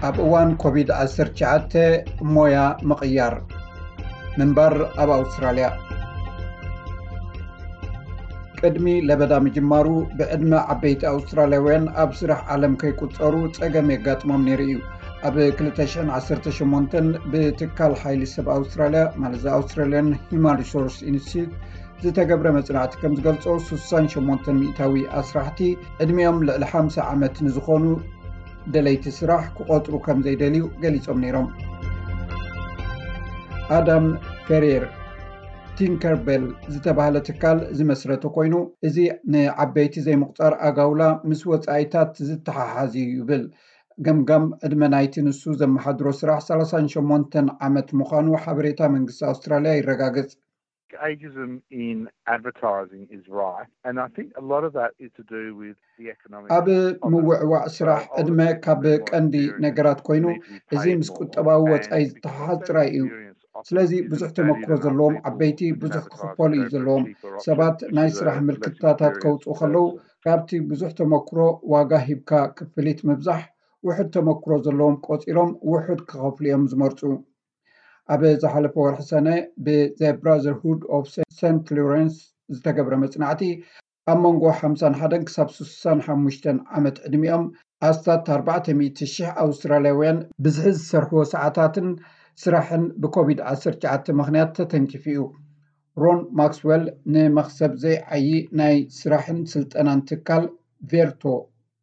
ኣብ እዋን ኮቪድ ዓሰርተ ትሽዓተ ሞያ ምቕያር ምንባር ኣብ ኣውስትራልያ። ቅድሚ ለበዳ ምጅማሩ፣ ብዕድመ ዓበይቲ ኣውስትራልያውያን ኣብ ስራሕ ዓለም ከይቁጸሩ ጸገም የጋጥሞም ነይሩ እዩ። ኣብ ክልተ ሽሕን ዓሰርተ ሸሞንተን ብትካል ሓይሊ ሰብ ኣውስትራልያ፣ ማለት Australian Human Resource Institute፣ ዝተገብረ መጽናዕቲ ከም ዝገልጾ፣ ስሳን ሸሞንተን ሚእታዊ ኣስራሕቲ ዕድሚኦም ልዕሊ ሓምሳ ዓመት ንዝኾኑ ደለይቲ ስራሕ ክቖጽሩ ከም ዘይደልዩ ገሊጾም ነይሮም። ኣዳም ፌሬር ቲንከርቤል ዝተባህለ ትካል ዝመስረተ ኮይኑ፣ እዚ ንዓበይቲ ዘይምቑጻር ኣጋውላ ምስ ወጻኢታት ዝተሓሓዝ እዩ ይብል። ገምጋም ዕድመ ናይቲ ንሱ ዘመሓድሮ ስራሕ ሰላሳን ሸሞንተን ዓመት ምዃኑ ሓበሬታ መንግስቲ ኣውስትራልያ ይረጋግጽ። Ageism in advertising is right, and I think a lot of that is to do with the economic ኣብ ምውዕዋዕ ስራሕ ዕድመ ካብ ቀንዲ ነገራት ኮይኑ፣ እዚ ምስ ቁጠባዊ ወጻኢ ዝተሓሓዝ ጥራይ እዩ። ስለዚ ብዙሕ ተመክሮ ዘለዎም ዓበይቲ ብዙሕ ክኽፈሉ እዩ ዘለዎም። ሰባት ናይ ስራሕ ምልክታታት ከውፅኡ ከለዉ፣ ካብቲ ብዙሕ ተመክሮ ዋጋ ሂብካ ክፍሊት ምብዛሕ፣ ውሑድ ተመክሮ ዘለዎም ቆፂሮም ውሑድ ክኸፍሉ እዮም ዝመርፁ። ኣብ ዝሓለፈ ወርሒ ሰነ ብ The Brotherhood of Saint Lawrence ዝተገብረ መጽናዕቲ፣ ኣብ መንጎ ሓምሳን ሓደን ክሳብ ስሳን ሓሙሽተን ዓመት ዕድሚኦም ኣስታት ኣርባዕተ ሚእቲ ሽሕ ኣውስትራልያውያን ብዝሒ ዝሰርሕዎ ሰዓታትን ስራሕን ብኮቪድ ዓሰርተ ትሽዓተ ምኽንያት ተተንኪፉ እዩ። ሮን ማክስዌል ንመኽሰብ ዘይዓዪ ናይ ስራሕን ስልጠናን ትካል ቬርቶ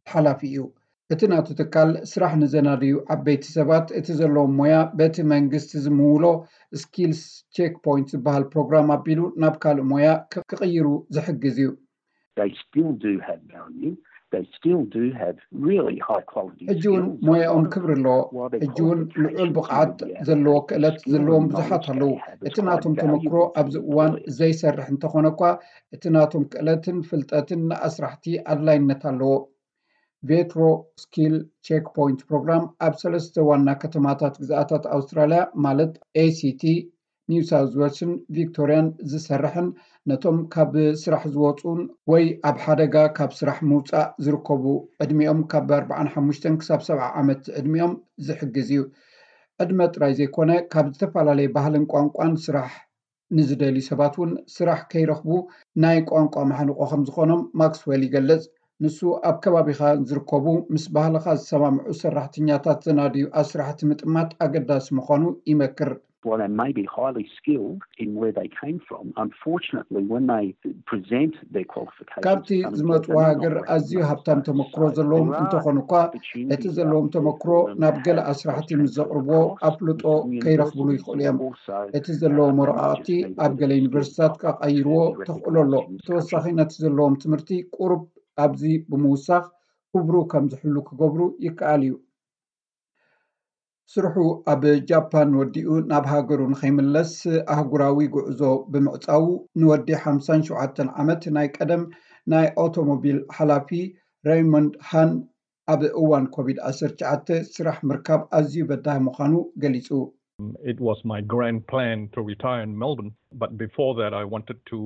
ሓላፊ እዩ። እቲ ናቱ ትካል ስራሕ ንዘናድዩ ዓበይቲ ሰባት እቲ ዘለዎም ሞያ በቲ መንግስቲ ዝምውሎ ስኪልስ ቼክ ፖይንት ዝበሃል ፕሮግራም ኣቢሉ ናብ ካልእ ሞያ ክ- ክቕይሩ ዝሕግዝ እዩ። They still do have value. They still do have really high quality ሕጂ እውን skills. ሞያኦም ክብሪ ኣለዎ። ሕጂ እውን ልዑል ብቕዓት ዘለዎ ክእለት ዘለዎም ብዙሓት ኣለዉ። እቲ ናቶም ተመክሮ ኣብዚ እዋን ዘይሰርሕ እንተኾነ እኳ፣ እቲ ናቶም ክእለትን ፍልጠትን ንኣስራሕቲ ኣድላይነት ኣለዎ። ቬትሮ ስኪል ቼክ ፖይንት ፕሮግራም ኣብ ሰለስተ ዋና ከተማታት ግዝኣታት ኣውስትራልያ፣ ማለት ኤሲቲ፣ ኒው ሳውዝ ዌልስን ቪክቶሪያን ዝሰርሕን፣ ነቶም ካብ ስራሕ ዝወፁን ወይ ኣብ ሓደጋ ካብ ስራሕ ምውፃእ ዝርከቡ፣ ዕድሚኦም ካብ ኣርባዓን ሓሙሽተን ክሳብ ሰብዓ ዓመት ዕድሚኦም ዝሕግዝ እዩ። ዕድመ ጥራይ ዘይኮነ፣ ካብ ዝተፈላለየ ባህልን ቋንቋን ስራሕ ንዝደልዩ ሰባት እውን ስራሕ ከይረኽቡ ናይ ቋንቋ ማሕንቆ ከም ዝኾኖም ማክስዌል ይገልጽ። ንሱ ኣብ ከባቢኻ ዝርከቡ ምስ ባህልኻ ዝሰማምዑ ሰራሕተኛታት ዘናድዩ ኣስራሕቲ ምጥማት ኣገዳሲ ምዃኑ ይመክር። While they may be highly skilled in where they came from, unfortunately, when they present their qualifications, ካብቲ ዝመጽዎ ሃገር ኣዝዩ ሃብታም ተመክሮ ዘለዎም እንተኾኑ እኳ፣ እቲ ዘለዎም ተመክሮ ናብ ገለ ኣስራሕቲ ምስ ዘቕርብዎ ኣፍልጦ ከይረኽብሉ ይኽእሉ እዮም። እቲ ዘለዎም ወረቓቕቲ ኣብ ገለ ዩኒቨርሲቲታት ክቐይርዎ ተኽእሎ ኣሎ። ብተወሳኺ ነቲ ዘለዎም ትምህርቲ ቁሩብ ኣብዚ ብምውሳኽ ክብሩ ከም ዝሕሉ ክገብሩ ይከኣል እዩ። ስርሑ ኣብ ጃፓን ወዲኡ ናብ ሃገሩ ንኸይምለስ ኣህጉራዊ ጉዕዞ ብምዕጻዉ፣ ንወዲ ሓምሳን ሸውዓተን ዓመት ናይ ቀደም ናይ ኣውቶሞቢል ሓላፊ ሬይሞንድ ሃን ኣብ እዋን ኮቪድ ዓሰርተ ትሽዓተ ስራሕ ምርካብ ኣዝዩ በዳሂ ምዃኑ ገሊጹ። It was my grand plan to retire in Melbourne, but before that, I wanted to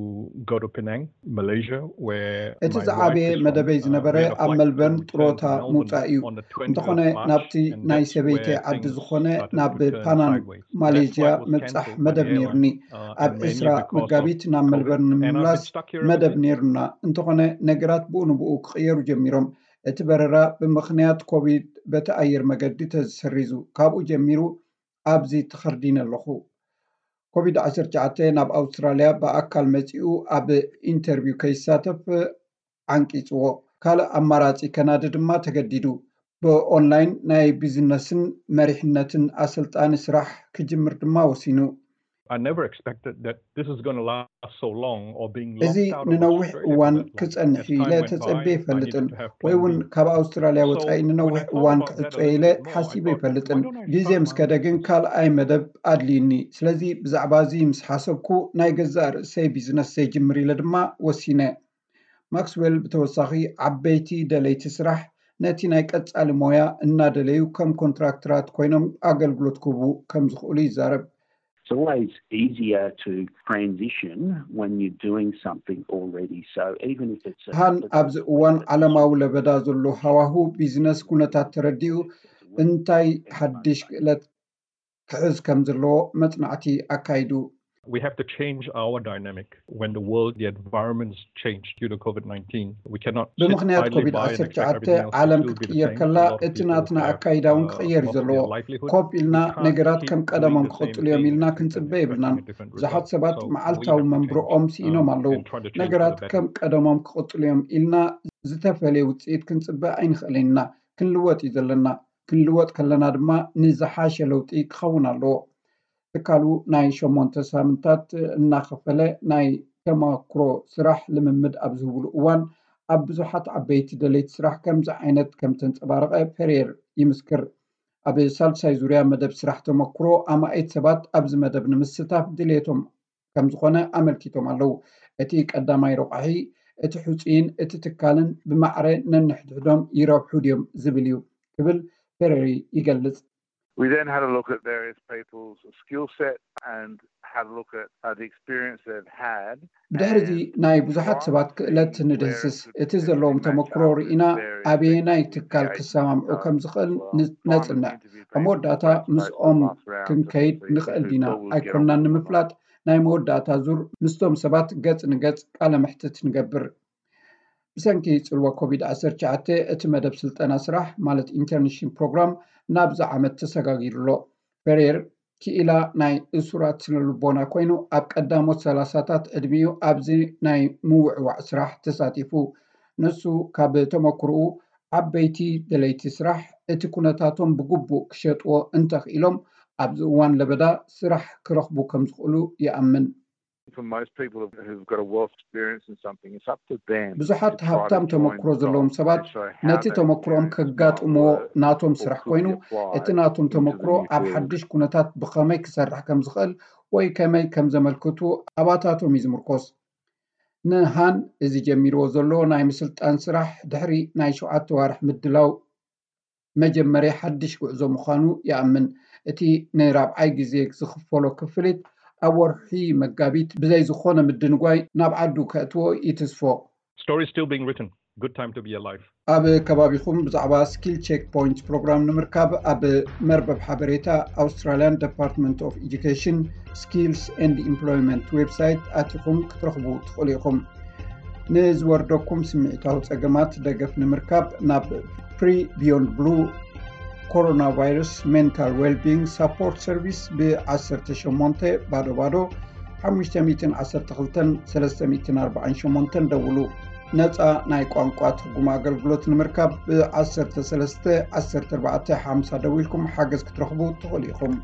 go to Penang, Malaysia, where እቲ ዝዓበየ መደበይ ዝነበረ ኣብ መልበርን ጥሮታ ምውፃእ እዩ። እንተኾነ ናብቲ ናይ ሰበይተይ ዓዲ ዝኾነ ናብ ፓናንግ ማሌዥያ ምብፃሕ መደብ ነይሩኒ። ኣብ ዕስራ መጋቢት ናብ መልበርን ንምምላስ መደብ ነይሩና። እንተኾነ ነገራት ብኡ ንብኡ ክቕየሩ ጀሚሮም። እቲ በረራ ብምኽንያት ኮቪድ በቲ ኣየር መገዲ ተሰሪዙ። ካብኡ ጀሚሩ ኣብዚ ተኸርዲነ ኣለኹ። ኮቪድ ዓሰርተ ትሽዓተ ናብ ኣውስትራልያ ብኣካል መጺኡ ኣብ ኢንተርቪው ከይሳተፍ ዓንቂጽዎ። ካልእ ኣማራጺ ከናዲ ድማ ተገዲዱ። ብኦንላይን ናይ ቢዝነስን መሪሕነትን ኣሰልጣኒ ስራሕ ክጅምር ድማ ወሲኑ። I never expected that this is going to last so long or being እዚ ንነዊሕ እዋን ክጸንሕ እዩ ኢለ ተጸቤ ይፈልጥን ወይ እውን ካብ ኣውስትራልያ ወጻኢ ንነዊሕ እዋን ክዕጾ ኢለ ሓሲበ ይፈልጥን። ግዜ ምስ ከደ ግን ካልኣይ መደብ ኣድልዩኒ። ስለዚ ብዛዕባ እዚ ምስ ሓሰብኩ ናይ ገዛእ ርእሰይ ቢዝነስ ዘይጅምር ኢለ ድማ ወሲነ። ማክስዌል ብተወሳኺ ዓበይቲ ደለይቲ ስራሕ ነቲ ናይ ቀጻሊ ሞያ እናደለዩ ከም ኮንትራክተራት ኮይኖም ኣገልግሎት ክህቡ ከም ዝኽእሉ ይዛረብ። It's always easier to transition when you're doing something already. So even if it's a, ሃን ኣብዚ እዋን ዓለማዊ ለበዳ ዘሎ ሃዋሁ ቢዝነስ ኩነታት ተረዲኡ እንታይ ሓድሽ ክእለት ክሕዝ ከም ዘለዎ መጽናዕቲ ኣካይዱ። We have to change our dynamic when the world, the environments change due to COVID nineteen. We cannot sit ብምኽንያት idly ኮቪድ by and expect 19 everything else to ዓለም still be the ክትቅየር same. ከላ A lot of እቲ people ናትና have, ኣካይዳ እውን uh, ክቕየር እዩ lost ዘለዎ። their livelihood. ኮፍ ኢልና We can't ነገራት keep ከም doing ቀደሞም the same ክቕጽሉ እዮም thing ኢልና and ክንጽበ expect የብልናን። a different ብዙሓት result. ሰባት So we መዓልታዊ have to መንብሮኦም change, ስኢኖም um, ኣለዉ። and try to change for ነገራት the better. ከም ቀደሞም ክቕጽሉ እዮም ኢልና ዝተፈለየ ውጽኢት ክንጽበ ኣይንኽእልን ኢና። ክንልወጥ እዩ ዘለና። ክንልወጥ ከለና ድማ ንዝሓሸ ለውጢ ክኸውን ኣለዎ። ትካሉ ናይ ሸሞንተ ሳምንታት እናኸፈለ ናይ ተመክሮ ስራሕ ልምምድ ኣብ ዝህብሉ እዋን፣ ኣብ ብዙሓት ዓበይቲ ደለይቲ ስራሕ ከምዚ ዓይነት ከም ተንጸባረቐ ፔሬር ይምስክር። ኣብ ሳልሳይ ዙርያ መደብ ስራሕ ተመክሮ፣ ኣማኢት ሰባት ኣብዚ መደብ ንምስታፍ ድሌቶም ከም ዝኾነ ኣመልኪቶም ኣለዉ። እቲ ቀዳማይ ረቋሒ፣ እቲ ሕጹይን እቲ ትካልን ብማዕረ ነንሕድሕዶም ይረብሑ ድዮም ዝብል እዩ ክብል ፔሬሪ ይገልጽ። We then had a look at various people's skill set and had a look at uh, the experience they've had. ብድሕርዚ ናይ ብዙሓት ሰባት ክእለት ንድህስስ። እቲ ዘለዎም ተመክሮ ርኢና ኣበየናይ ትካል ክሰማምዑ ከም ዝኽእል ነጽንዕ። ኣብ መወዳእታ ምስኦም ክንከይድ ንኽእል ዲና ኣይኮንናን ንምፍላጥ፣ ናይ መወዳእታ ዙር ምስቶም ሰባት ገጽ ንገጽ ቃለ መሕትት ንገብር። ብሰንኪ ጽልዋ ኮቪድ ዓሰርተ ትሽዓተ እቲ መደብ ስልጠና ስራሕ ማለት ኢንተርንሺፕ ፕሮግራም ናብዚ ዓመት ተሰጋጊሩ ኣሎ። ፌሬር ክኢላ ናይ እሱራት ስነ ልቦና ኮይኑ፣ ኣብ ቀዳሞት ሰላሳታት ዕድሚኡ ኣብዚ ናይ ምውዕዋዕ ስራሕ ተሳቲፉ። ንሱ ካብ ተመክርኡ፣ ዓበይቲ ደለይቲ ስራሕ እቲ ኩነታቶም ብግቡእ ክሸጥዎ እንተኽኢሎም፣ ኣብዚ እዋን ለበዳ ስራሕ ክረኽቡ ከም ዝኽእሉ ይኣምን። For most people who've got a wealth experience in something, it's up to them. ብዙሓት ሃብታም ተመክሮ ዘለዎም ሰባት ነቲ ተመክሮኦም ከጋጥምዎ ናቶም ስራሕ ኮይኑ፣ እቲ ናቶም ተመክሮ ኣብ ሓድሽ ኩነታት ብኸመይ ክሰርሕ ከም ዝኽእል ወይ ከመይ ከም ዘመልክቱ ኣባታቶም እዩ ዝምርኮስ። ንሃን እዚ ጀሚርዎ ዘሎ ናይ ምስልጣን ስራሕ ድሕሪ ናይ ሸውዓተ ዋርሕ ምድላው መጀመርያ ሓድሽ ጉዕዞ ምዃኑ ይኣምን። እቲ ንራብዓይ ግዜ ዝኽፈሎ ክፍሊት ኣብ ወርሒ መጋቢት ብዘይ ዝኾነ ምድንጓይ ናብ ዓዱ ከእትዎ ይትስፎ። Stories still being written. Good time to be alive. ኣብ ከባቢኹም ብዛዕባ ስኪል ቼክ ፖይንት ፕሮግራም ንምርካብ ኣብ መርበብ ሓበሬታ ኣውስትራልያን ዲፓርትመንት ኦፍ ኤጁኬሽን ስኪልስ ኤንድ ኢምፕሎይመንት ዌብሳይት ኣቲኹም ክትረኽቡ ትኽእሉ ኢኹም። ንዝወርደኩም ስምዒታዊ ጸገማት ደገፍ ንምርካብ ናብ ፍሪ ቢዮንድ ብሉ ኮሮና ቫይረስ ሜንታል ዌልቢንግ ሳፖርት ሰርቪስ ብ18 ባዶ ባዶ 512-348 ደውሉ። ነጻ ናይ ቋንቋ ትርጉም ኣገልግሎት ንምርካብ ብ13 14 50 ደዊልኩም ሓገዝ ክትረኽቡ ትኽእሉ ኢኹም።